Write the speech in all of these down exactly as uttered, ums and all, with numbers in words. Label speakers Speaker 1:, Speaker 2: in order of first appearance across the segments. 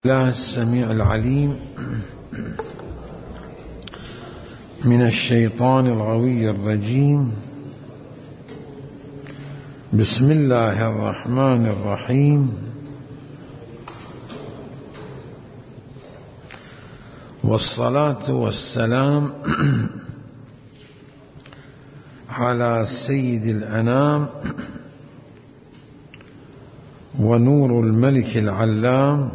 Speaker 1: الله السميع العليم من الشيطان الغوي الرجيم. بسم الله الرحمن الرحيم. والصلاة والسلام على سيد الأنام ونور الملك العلام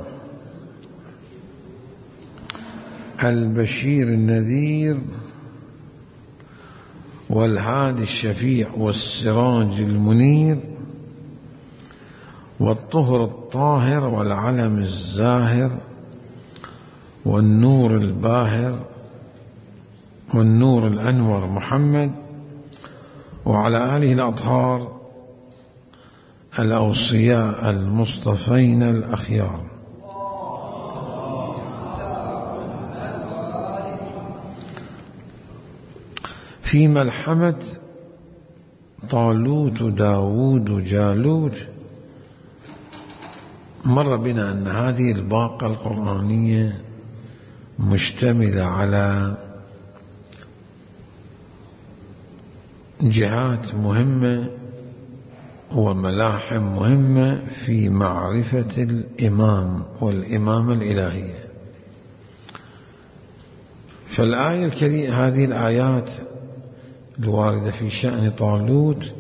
Speaker 1: البشير النذير والهادي الشفيع والسراج المنير والطهر الطاهر والعلم الزاهر والنور الباهر والنور الأنور محمد وعلى آله الأطهار الأوصياء المصطفين الأخيار. في ملحمة طالوت داود جالوت مر بنا أن هذه الباقة القرآنية مشتملة على جهات مهمة وملاحم مهمة في معرفة الإمام والإمامة الإلهية. فالآية الكريمة، هذه الآيات الواردة في شأن طالوت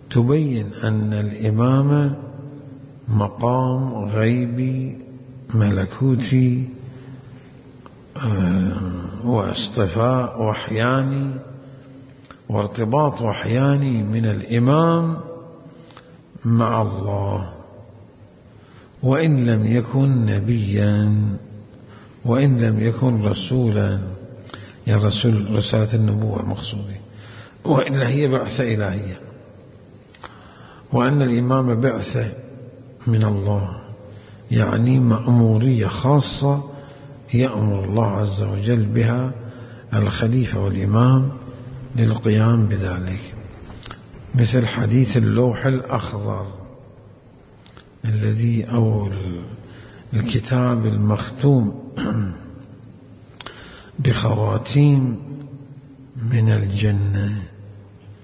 Speaker 1: تبين أن الإمامة مقام غيبي ملكوتي واصطفاء وحياني وارتباط وحياني من الإمام مع الله، وإن لم يكن نبيا وإن لم يكن رسولا، يعني رسول رسالة النبوة مقصودة، وإلا هي بعثة إلهية، وأن الإمام بعثة من الله، يعني مأمورية خاصة يأمر الله عز وجل بها الخليفة والإمام للقيام بذلك، مثل حديث اللوح الأخضر الذي أو الكتاب المختوم بخواتيم من الجنة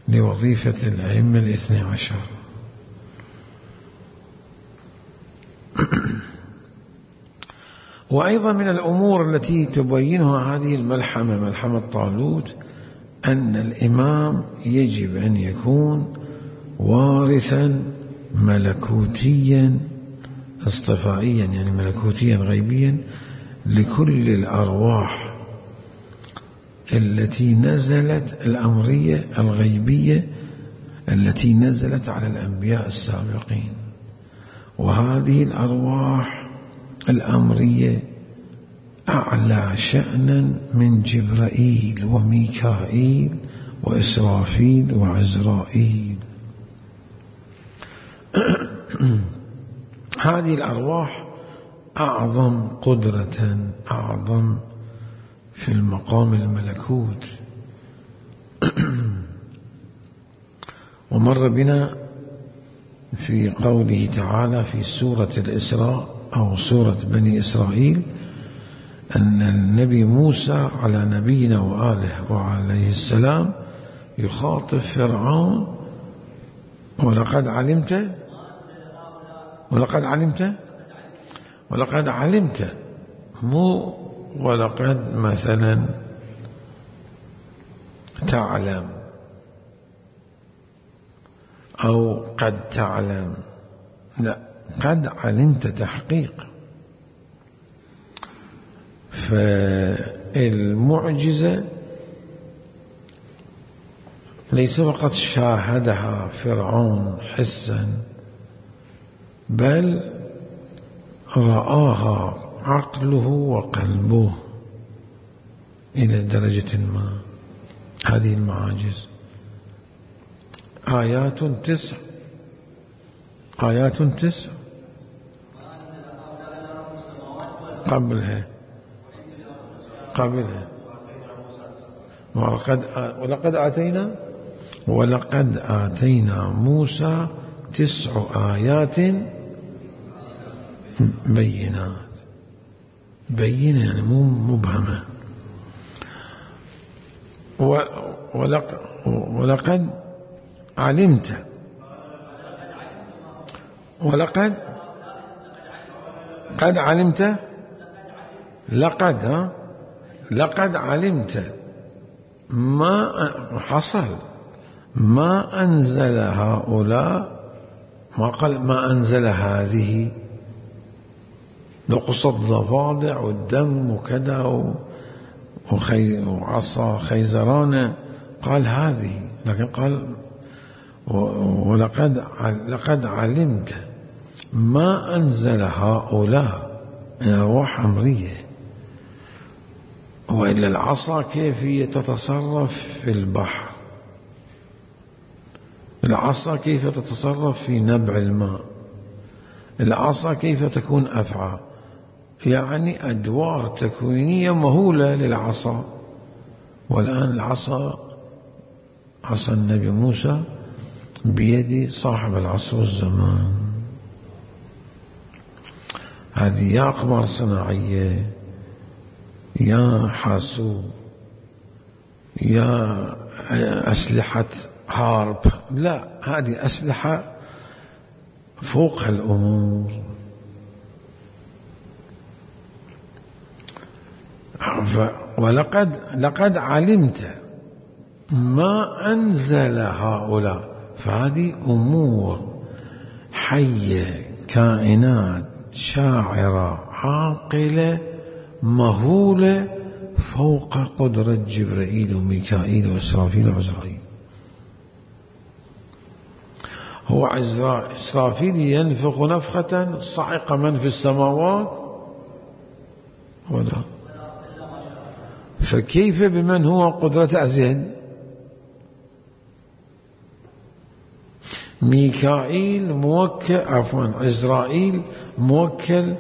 Speaker 1: لوظيفة الأئمة الاثني عشر. وأيضا من الأمور التي تبينها هذه الملحمة، ملحمة طالوت، أن الإمام يجب أن يكون وارثا ملكوتيا اصطفائيا، يعني ملكوتيا غيبيا لكل الأرواح التي نزلت، الأمرية الغيبية التي نزلت على الأنبياء السابقين. وهذه الأرواح الأمرية أعلى شأنا من جبرائيل وميكائيل وإسرافيل وعزرائيل. هذه الأرواح أعظم قدرة، أعظم في المقام الملكوت. ومر بنا في قوله تعالى في سورة الإسراء أو سورة بني إسرائيل أن النبي موسى على نبينا وآله وعليه السلام يخاطب فرعون: ولقد علمت ولقد علمت ولقد علمت مو ولقد مثلا تعلم أو قد تعلم، لا، قد علمت تحقيق. فالمعجزة ليس فقط شاهدها فرعون حسا، بل رآها عقله وقلبه إلى درجة ما. هذه المعاجز آيات تسع آيات تسع قبلها قبلها ولقد ولقد آتينا ولقد آتينا موسى تسع آيات بينات. بينة يعني مو مبهمة. ولقد علمت ولقد قد علمت لقد ها لقد علمت ما حصل ما أنزل هؤلاء، ما قال ما أنزل هذه، نقص الضفادع والدم وكذا وخي وعصا خيزرانة، قال هذه، لكن قال ولقد لقد علمت ما أنزل هؤلاء من أرواح أمرية. وإلا العصا كيف هي تتصرف في البحر، العصا كيف تتصرف في نبع الماء، العصا كيف تكون أفعى، يعني أدوار تكوينية مهولة للعصا. والآن العصا عصا النبي موسى بيد صاحب العصر والزمان. هذه يا أقمار صناعية يا حاسوب يا أسلحة حرب، لا، هذه أسلحة فوق الأمور. ولقد لقد علمت ما أنزل هؤلاء، فهذه أمور حية، كائنات شاعرة عاقلة مهولة فوق قدرة جبرائيل وميكائيل وإسرافيل وعزرائيل. هو إسرافيل ينفخ نفخة صعق من في السماوات ولا، فكيف بمن هو قدرة أزيد؟ ميكائيل موكل عفوا عزرائيل موكل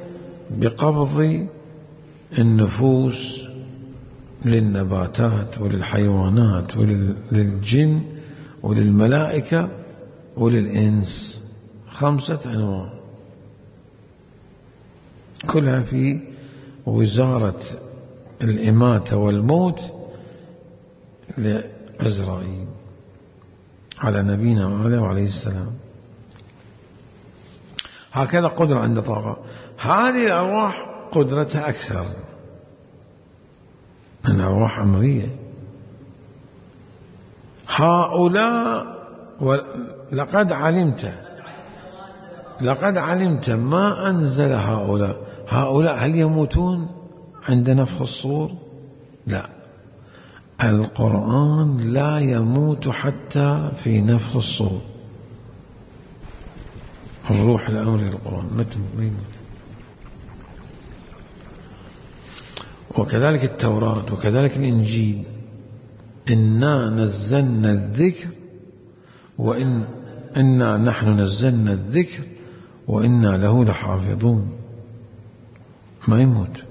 Speaker 1: بقبض النفوس للنباتات وللحيوانات وللجن وللملائكة وللإنس، خمسة أنواع كلها في وزارة الإماتة والموت لعزرائيل على نبينا وعليه السلام. هكذا قدرة عند طاقة. هذه الأرواح قدرتها أكثر من أرواح أمرية. هؤلاء لقد علمت لقد علمت ما أنزل هؤلاء. هؤلاء هل يموتون عند نفخ الصور؟ لا، القرآن لا يموت حتى في نفخ الصور. الروح الأمر للقرآن ما يموت. وكذلك التوراة وكذلك الإنجيل، إنا نزلنا الذكر وإن إنا نحن نزلنا الذكر وإنا له لحافظون، ما يموت.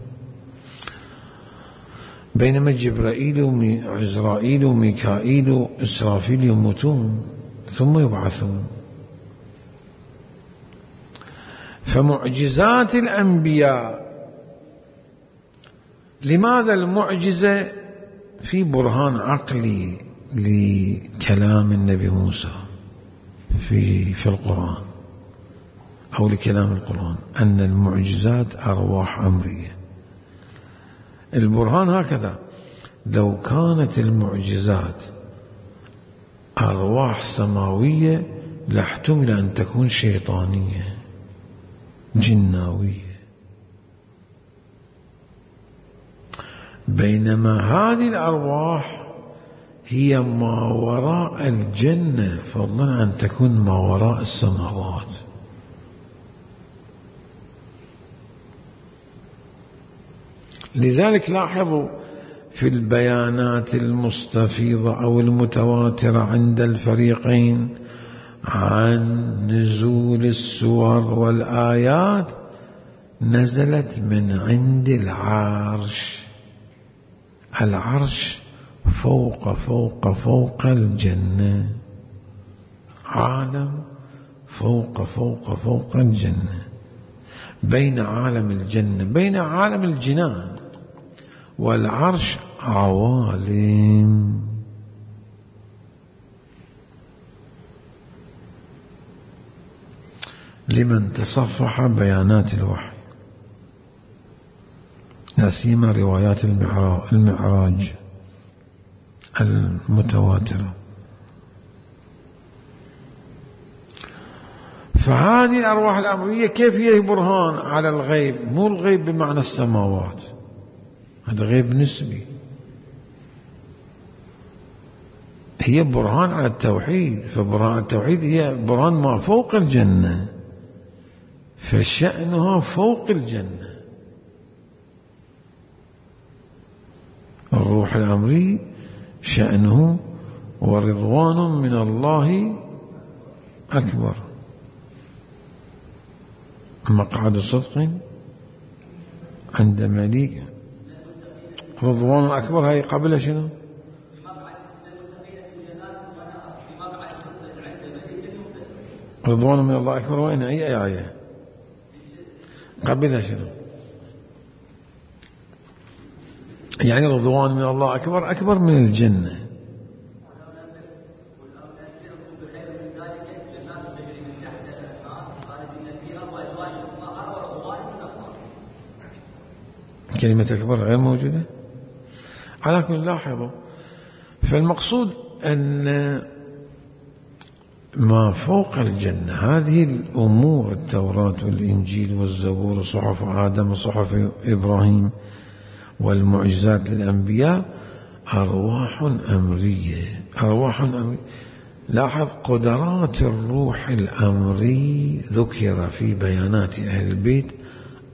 Speaker 1: بينما جبرائيل وعزرائيل وميكائيل وإسرافيل يموتون ثم يبعثون. فمعجزات الأنبياء، لماذا المعجزة؟ في برهان عقلي لكلام النبي موسى في في القرآن أو لكلام القرآن أن المعجزات أرواح أمرية. البرهان هكذا: لو كانت المعجزات أرواح سماوية لاحتمل أن تكون شيطانية جناوية، بينما هذه الأرواح هي ما وراء الجنة فضلا أن تكون ما وراء السماوات. لذلك لاحظوا في البيانات المستفيضة أو المتواترة عند الفريقين عن نزول السور والآيات نزلت من عند العرش. العرش فوق فوق فوق الجنة، عالم فوق فوق فوق الجنة. بين عالم الجنة بين عالم الجنان والعرش عوالم. لمن تصفح بيانات الوحي لا سيما روايات المعراج المتواترة. فهذه الأرواح الأمرية كيف هي برهان على الغيب؟ مو الغيب بمعنى السماوات، هذا غيب نسبي، هي برهان على التوحيد. فبرهان التوحيد هي برهان ما فوق الجنة، فشأنها فوق الجنة. الروح الأمري شأنه ورضوان من الله أكبر. مقعد صدق عند مليك، رضوان أكبر هاي قبل شنو؟ رضوان من الله أكبر وين أي آية قبلها شنو؟ يعني رضوان من الله أكبر أكبر من الجنة. كلمة أكبر غير موجودة على كل. لاحظوا، فالمقصود أن ما فوق الجنة هذه الأمور، التوراة والإنجيل والزبور وصحف آدم وصحف إبراهيم والمعجزات للأنبياء، أرواح أمرية. أرواح أمرية. لاحظ قدرات الروح الأمري ذكر في بيانات أهل البيت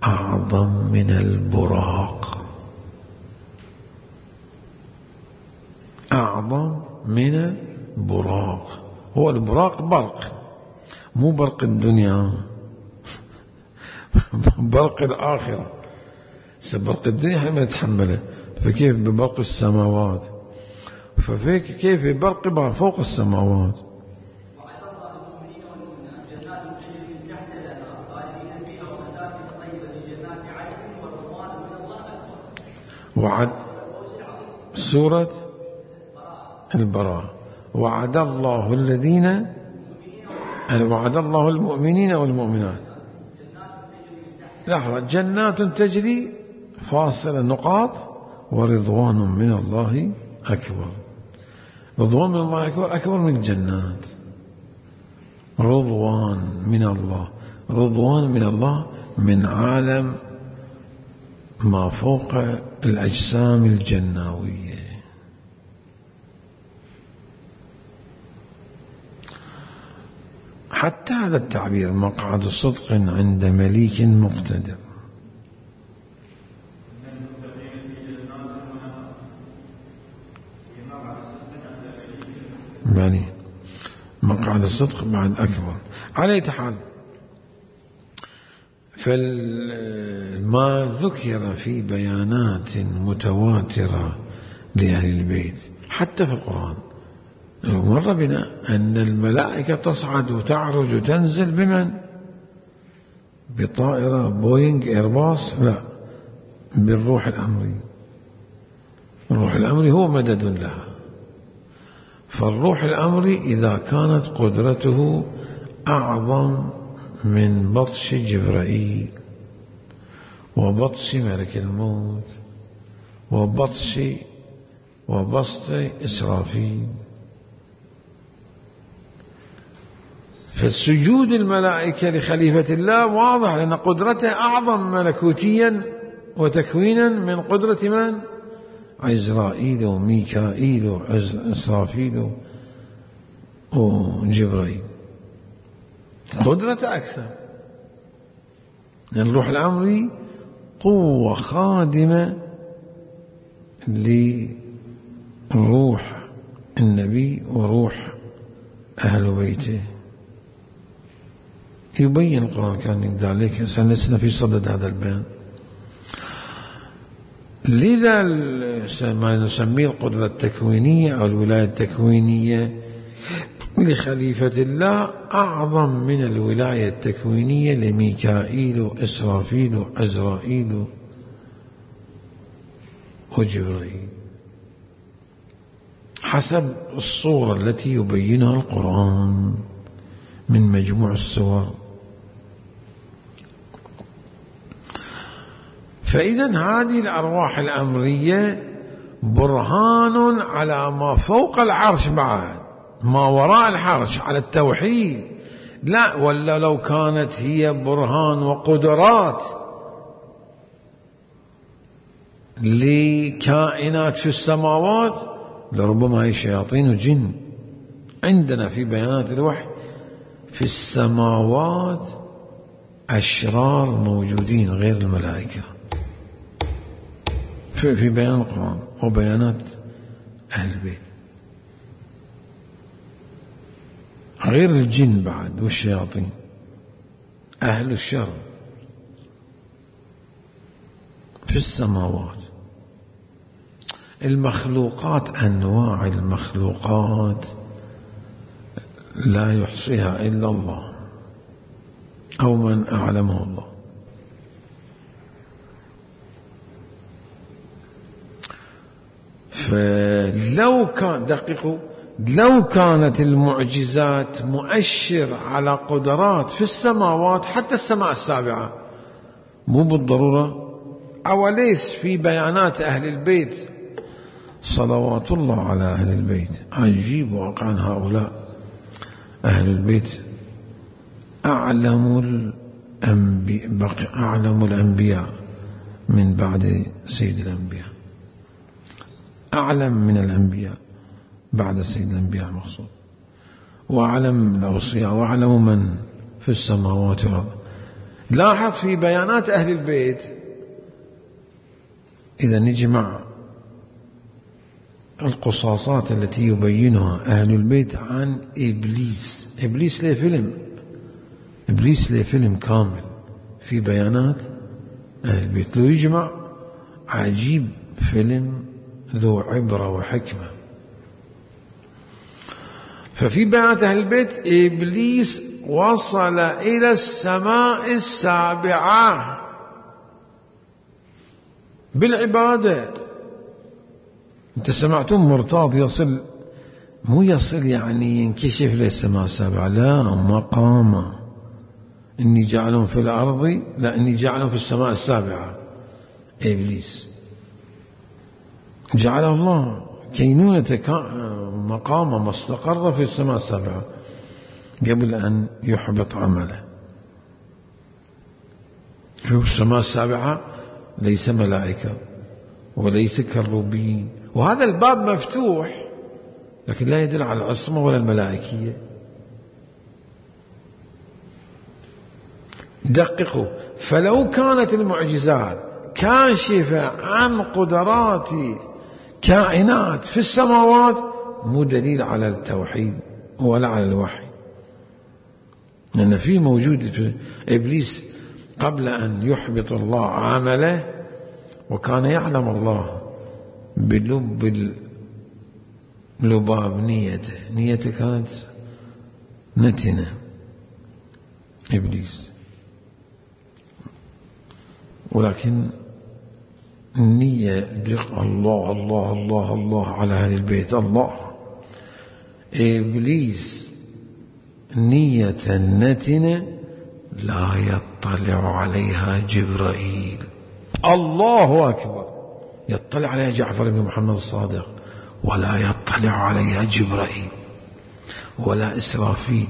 Speaker 1: أعظم من البراق، أعظم من البراق. هو البراق برق، مو برق الدنيا، برق الآخرة. برق الدنيا احنا ما نتحمله، فكيف ببرق السماوات؟ ففيك كيف برق فوق السماوات. وعد سورة البراءة، وعد الله الذين وعد الله المؤمنين والمؤمنات. لحظة، جنات تجري فاصلة نقاط ورضوان من الله أكبر. رضوان من الله أكبر أكبر من الجنات. رضوان من الله، رضوان من الله من عالم ما فوق الأجسام الجناوية. حتى هذا التعبير مقعد صدق عند مليك مقتدر. يعني مقعد الصدق بعد أكبر. على أي حال، فما ذكر في بيانات متواترة لأهل البيت حتى في القرآن، مر بنا أن الملائكة تصعد وتعرج وتنزل بمن؟ بطائرة بوينغ إيرباص؟ لا، بالروح الأمري. الروح الأمري هو مدد لها. فالروح الأمري إذا كانت قدرته أعظم من بطش جبرائيل وبطش ملك الموت وبطش وبسط إسرافيل، فالسجود الملائكة لخليفة الله واضح، لأن قدرته أعظم ملكوتيا وتكوينا من قدرة من؟ عزرائيل وميكائيل وإسرافيل وجبرائيل. قدرة أكثر، لأن الروح الأمري قوة خادمة لروح النبي وروح أهل بيته. يبين القرآن كان ذلك، سنسنا في صدد هذا البيان. لذا ما نسميه القدرة التكوينية أو الولاية التكوينية لخليفة الله أعظم من الولاية التكوينية لميكائيل وإسرافيل وعزرائيل وجبرائيل حسب الصورة التي يبينها القرآن من مجموع السور. فإذا هذه الأرواح الأمرية برهان على ما فوق العرش، بعد ما وراء العرش، على التوحيد. لا، ولا لو كانت هي برهان وقدرات لكائنات في السماوات لربما هي شياطين وجن. عندنا في بيانات الوحي في السماوات أشرار موجودين غير الملائكة في, في بيان القرآن وبيانات أهل البيت، غير الجن بعد والشياطين أهل الشر في السماوات. المخلوقات، أنواع المخلوقات لا يحصيها إلا الله أو من أعلمه الله. فلو كان دقيقوا لو كانت المعجزات مؤشر على قدرات في السماوات، حتى السماء السابعة مو بالضرورة، أوليس في بيانات أهل البيت صلوات الله على أهل البيت. عجيب واقعا، هؤلاء أهل البيت أعلم الأنبياء أعلم الأنبياء من بعد سيد الأنبياء، أعلم من الأنبياء بعد سيد الأنبياء المقصود، وأعلم الأوصياء، وأعلم من في السماوات والأرض. لاحظ في بيانات أهل البيت إذا نجمع القصاصات التي يبينها أهل البيت عن إبليس. إبليس له فيلم إبليس له فيلم كامل في بيانات أهل البيت، لو يجمع عجيب، فيلم ذو عبرة وحكمة. ففي بيانات أهل البيت إبليس وصل إلى السماء السابعة بالعبادة. أنت سمعتم مرتاض يصل، مو يصل يعني ينكشف للسماء السابعة، لا، مقام. إني جعلهم في الأرض، لا، إني جعلهم في السماء السابعة. إبليس جعل الله كينونة مقام ما استقر في السماء السابعة قبل أن يحبط عمله. في السماء السابعة ليس ملائكة وليس كروبين، وهذا الباب مفتوح، لكن لا يدل على العصمة ولا الملائكية. دققوا، فلو كانت المعجزات كاشفة عن قدرات كائنات في السماوات مو دليل على التوحيد ولا على الوحي، لأن في موجود في إبليس قبل أن يحبط الله عمله، وكان يعلم الله بلب لباب نيته نيته كانت نتنة إبليس، ولكن النية دق الله الله الله الله على أهل البيت الله. إبليس نية نتنة لا يطلع عليها جبرائيل. الله أكبر. يطلع عليها جعفر بن محمد الصادق، ولا يطلع عليها جبرائيل ولا إسرافيل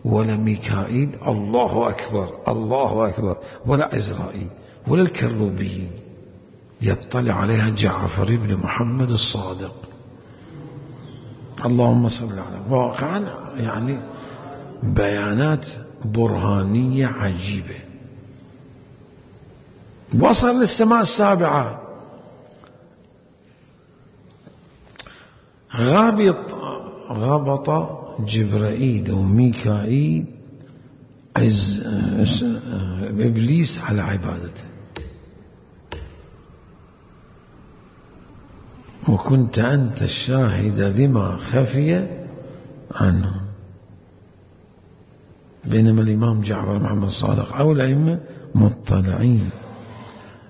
Speaker 1: ولا ميكائيل. الله أكبر الله أكبر. ولا إزرائيل ولا الكروبيين، يطلع عليها جعفر بن محمد الصادق. اللهم صل على. واقعا يعني بيانات برهانية عجيبة. وصل للسماء السابعة، غابط غبط جبرائيل وميكائيل عز إبليس على عبادته، وكنت أنت الشاهد لما خفي عنه. بينما الإمام جعفر محمد الصادق أو الأئمة مطلعين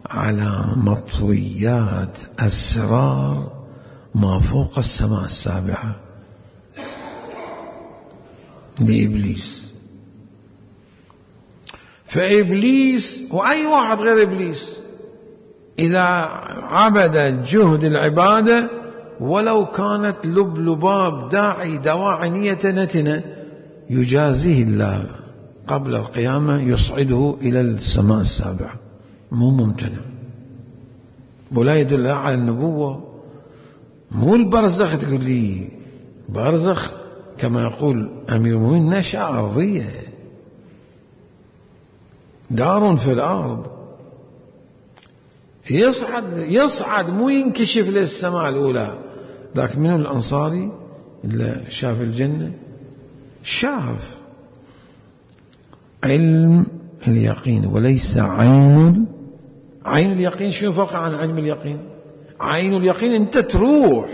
Speaker 1: على مطويات أسرار ما فوق السماء السابعة لإبليس. فإبليس وأي واحد غير إبليس إذا عبد جهد العبادة ولو كانت لب لباب داعي دواعي نية نتنة يجازيه الله قبل القيامة، يصعده إلى السماء السابعة، مو ممتنع. ولا يدل على النبوة. مو البرزخ تقول لي برزخ كما يقول أمير المؤمنين نشأة أرضية، دار في الأرض، يصعد يصعد مو ينكشف للسماء الأولى. لكن من الأنصاري اللي شاف الجنة شاف علم اليقين وليس عين. عين اليقين شنو فرق عن علم اليقين؟ عين اليقين أنت تروح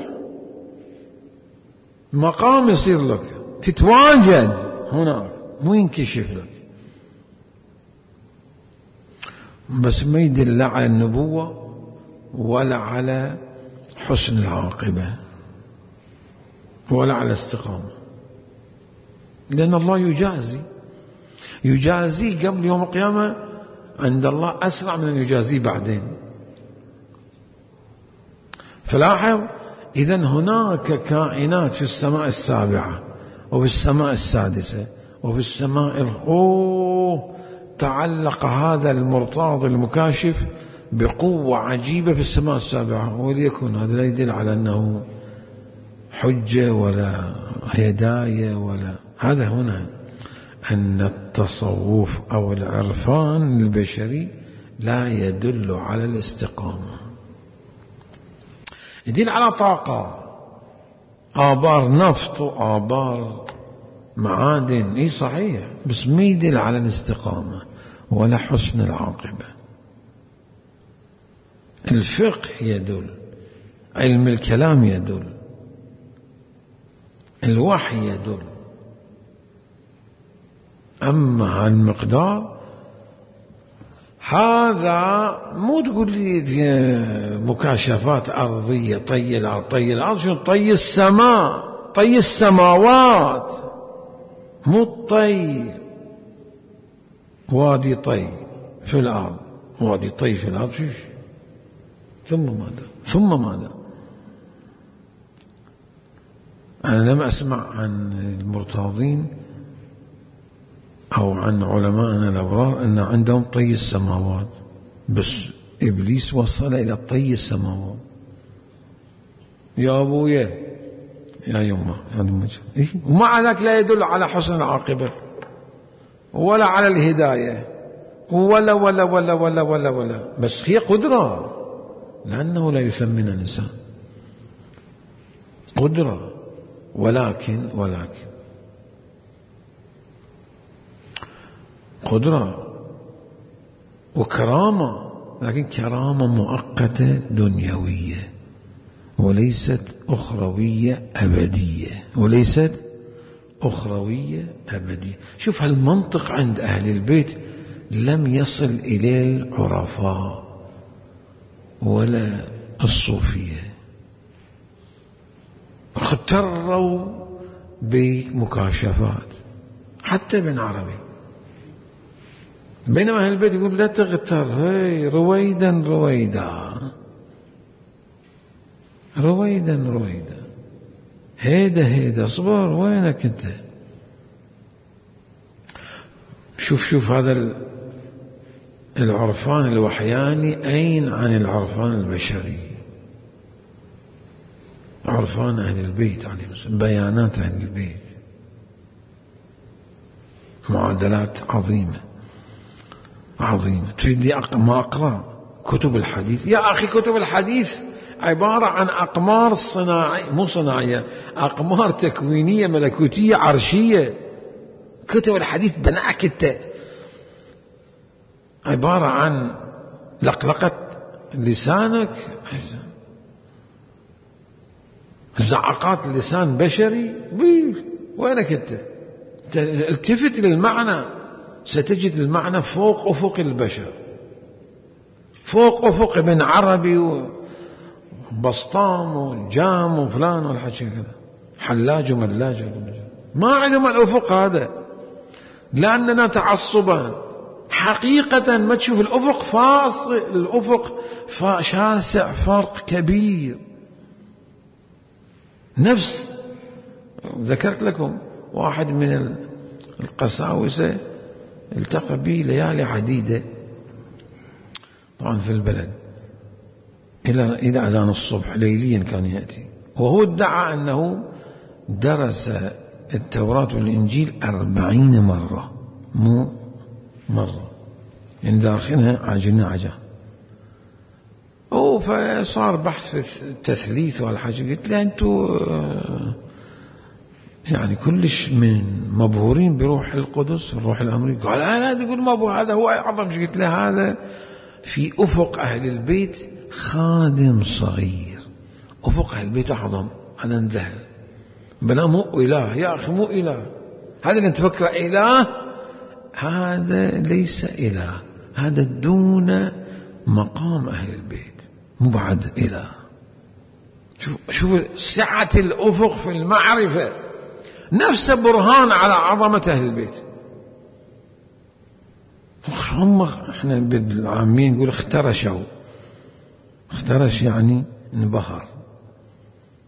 Speaker 1: مقام يصير لك، تتواجد هناك، مو ينكشف لك. بس ما يدل لا على النبوة ولا على حسن العاقبة ولا على استقامة، لأن الله يجازي يجازي قبل يوم القيامة عند الله أسرع من أن يجازي بعدين. فلاحظ إذن هناك كائنات في السماء السابعة وفي السماء السادسة وفي السماء الأوه تعلق هذا المرتاض المكاشف بقوة عجيبة في السماء السابعة. وليكن هذا لا يدل على أنه حجة ولا هداية ولا هذا. هنا أن التصوف أو العرفان البشري لا يدل على الاستقامة، يدل على طاقة، آبار نفط وآبار معادن، إيه صحيح، بس ما يدل على الاستقامة ولا حسن العاقبة. الفقه يدل، علم الكلام يدل، الوحي يدل. أما المقدار هذا مو تقول لي مكاشفات أرضية، طي الأرض طي الأرض، شنو طي السماء، طي السماوات، مو الطي وادي طي في الأرض، وادي طي في الأرض فيش. ثم ماذا ثم ماذا أنا لم أسمع عن المرتاضين أو عن علماءنا الأبرار أن عندهم طي السماوات، بس إبليس وصل إلى طي السماوات. يا أبويا يا يمه يعني إيه؟ ومع ذلك لا يدل على حسن العاقبة ولا على الهداية ولا ولا ولا ولا ولا ولا بس هي قدرة، لأنه لا يثمن الإنسان قدرة. ولكن ولكن قدرة وكرامة، لكن كرامة مؤقتة دنيوية وليست أخروية أبدية، وليست أخروية أبدية. شوف هالمنطق عند أهل البيت لم يصل إلى العرفاء ولا الصوفية، اغتروا بمكاشفات حتى ابن عربي. بينما أهل البيت يقول لا تغتر، هي رويدا رويدا رويدا رويدا، هيدا هيدا، اصبر، وينك انت؟ شوف شوف هذا العرفان الوحياني أين عن العرفان البشري؟ عرفان أهل البيت عليهم السلام، بيانات أهل البيت، معادلات عظيمة عظيمة. تريد ما أقرأ كتب الحديث؟ يا أخي كتب الحديث عبارة عن أقمار صناعية، مو صناعية، أقمار تكوينية ملكوتية عرشية. كتب الحديث بناك انت عبارة عن لقلقة لسانك، زعقات لسان بشري، وينك انت؟ التفت للمعنى ستجد المعنى فوق أفق البشر، فوق أفق ابن عربي وبسطام وجام وفلان والحكي كذا، حلاج وملاج، ما علم الأفق هذا، لأننا تعصبا حقيقة ما تشوف الأفق فاصل، الأفق شاسع، فرق كبير. نفس ذكرت لكم واحد من القساوسة التقى بي ليالي عديدة طبعا في البلد إلى إلى أذان الصبح ليليا كان يأتي، وهو ادعى أنه درس التوراة والإنجيل أربعين مرة، مو مرة، يعني داخلها عجنة عجان. أو فصار بحث في التثليث والحاجة، قلت له أنتوا يعني كلش من مبهورين بروح القدس، الروح الأمريكي. قال أنا تقول مبهور، هذا هو أعظم شيء. قلت له هذا في أفق أهل البيت خادم صغير، أفق أهل البيت أعظم. أنا اندهر، بلا مو إله يا أخي، مو إله هذا اللي تفكر إله، هذا ليس إله، هذا دون مقام أهل البيت، مو بعد إله. شوف شوف سعة الأفق في المعرفة، نفس برهان على عظمة أهل البيت. هم احنا بالعامين نقول اخترشوا، اخترش يعني انبهر.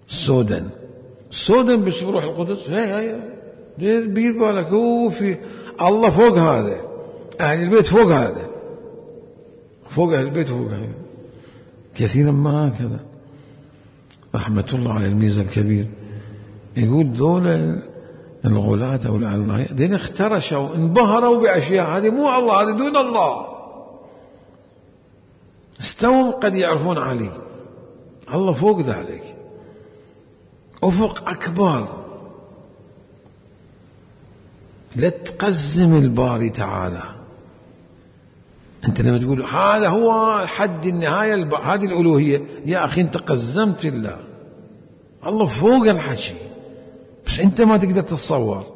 Speaker 1: سودن سودن بس بروح القدس، هي هي دير بير بالك، هو في الله فوق هذا، أهل البيت فوق هذا، فوق أهل البيت فوق هذا. كثيرا ما هكذا، رحمة الله على الميزة الكبير، يقول ذول الغلاة أو العلماء دين اخترشوا انبهروا بأشياء، هذه مو الله، هذه دون الله. استووا قد يعرفون عليه، الله فوق ذلك، أفق أكبر. لا تقزم الباري تعالى. أنت لما تقول هذا هو حد النهاية، هذه الألوهية، يا أخي أنت قزمت الله، الله فوق الحكي، بس أنت ما تقدر تتصور،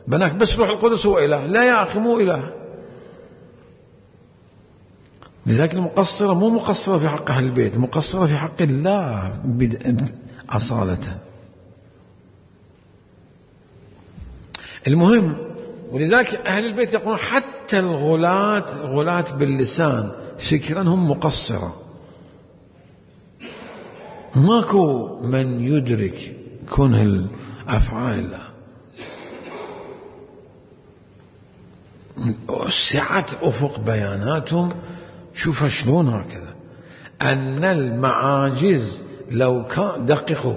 Speaker 1: بناك بس روح القدس هو إله. لا يا أخي، مو إله. لذلك المقصرة مو مقصرة في حق أهل البيت، مقصرة في حق الله أصالة. المهم، ولذلك أهل البيت يقولون حتى الغلاة، غلاة باللسان فكرا هم مقصرة. ماكو من يدرك كنه الأفعال الله، سعة أفق بياناتهم. شوف شلون هكذا، أن المعاجز لو كان، دققوا،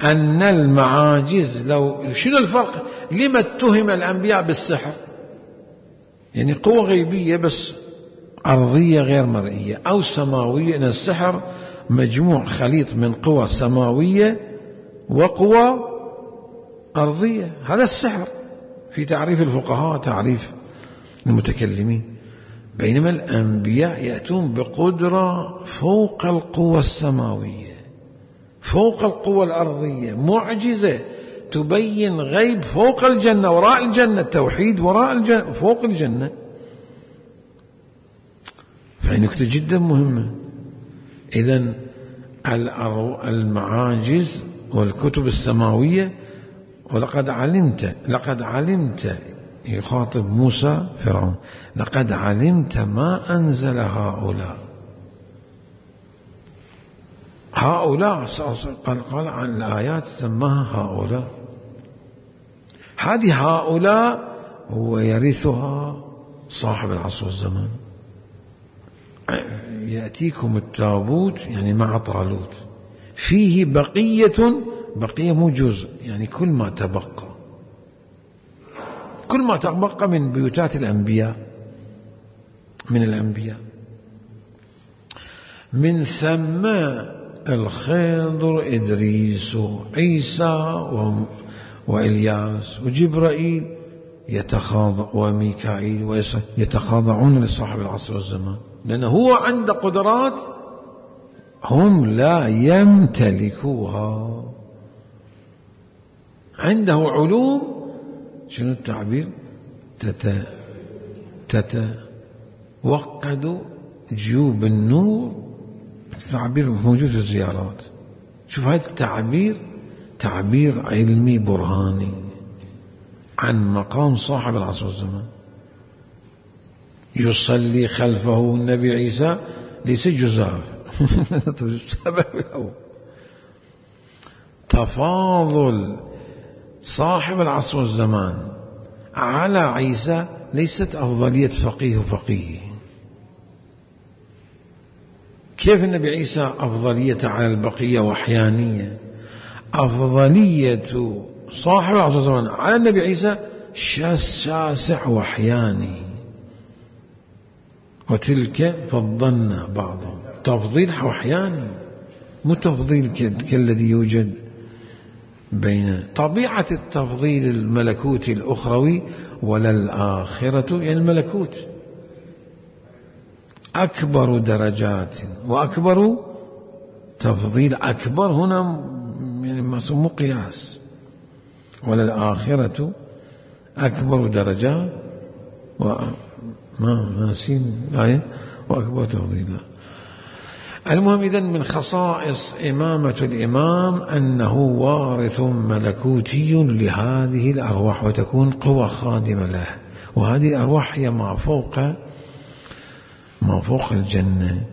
Speaker 1: أن المعاجز لو، شنو الفرق؟ لما اتهم الأنبياء بالسحر؟ يعني قوة غيبية بس أرضية غير مرئية أو سماوية. إن السحر مجموع خليط من قوة سماوية وقوة أرضية، هذا السحر في تعريف الفقهاء، تعريف المتكلمين. بينما الأنبياء يأتون بقدرة فوق القوة السماوية، فوق القوة الأرضية، معجزة تبين غيب فوق الجنة، وراء الجنة، التوحيد وراء الجنة، فوق الجنة. فهي نكتة جدا مهمة. إذن المعاجز والكتب السماوية، ولقد علمت، لقد علمت، يخاطب موسى فرعون، لقد علمت ما أنزل هؤلاء، هؤلاء قال, قال عن الآيات سماها هؤلاء، هذه هؤلاء هو يرثها صاحب العصر والزمان. يأتيكم التابوت يعني مع طالوت، فيه بقية، بقية مو جزء، يعني كل ما تبقى، كل ما تبقى من بيوتات الأنبياء، من الأنبياء. من ثم الخضر، إدريس، عيسى وإلياس وجبرائيل يتخاضع، وميكائيل يتخاضعون لصاحب العصر والزمان، لأنه هو عنده قدرات هم لا يمتلكوها، عنده علوم شنو التعبير؟ تت تتوقد جيوب النور، تعبير موجود في الزيارات. شوف هذا التعبير تعبير علمي برهاني عن مقام صاحب العصر والزمان. يصلي خلفه النبي عيسى ليس جزاف السبب الأول. تفاضل صاحب العصر والزمان على عيسى ليست أفضلية فقيه وفقيه. كيف النبي عيسى أفضلية على البقية وأحيانية؟ أفضلية صاحب العصر والزمان على النبي عيسى شاسع وأحياني، وتلك فضلنا بعضهم تفضيل وأحياني، مو تفضيل كالذي يوجد بين طبيعة التفضيل الملكوتي الأخروي ولا الآخرة، يعني الملكوت أكبر درجات وأكبر تفضيل. أكبر هنا يعني مو قياس، ولا الآخرة أكبر درجات وما ناسين الآية وأكبر تفضيلا. المهم إذن من خصائص إمامة الإمام أنه وارث ملكوتي لهذه الأرواح، وتكون قوة خادمة له. وهذه الأرواح هي ما فوق ما فوق الجنة،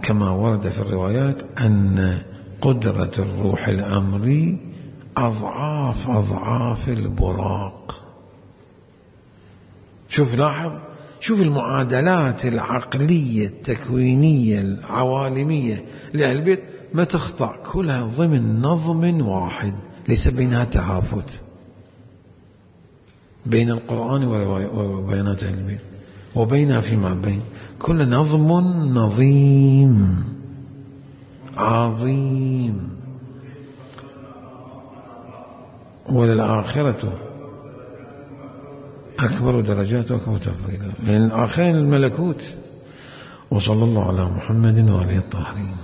Speaker 1: كما ورد في الروايات أن قدرة الروح الأمري أضعاف أضعاف البراق. شوف لاحظ، شوف المعادلات العقلية التكوينية العوالمية لأهل البيت ما تخضع، كلها ضمن نظم واحد ليس بينها تهافت بين القرآن وبيانات أهل البيت وبينها فيما بين، كل نظم نظيم عظيم. وللآخرة أكبر درجات وأكبر تفضيلا، يعني الآخرين الملكوت. وصلى الله على محمد وآله الطاهرين.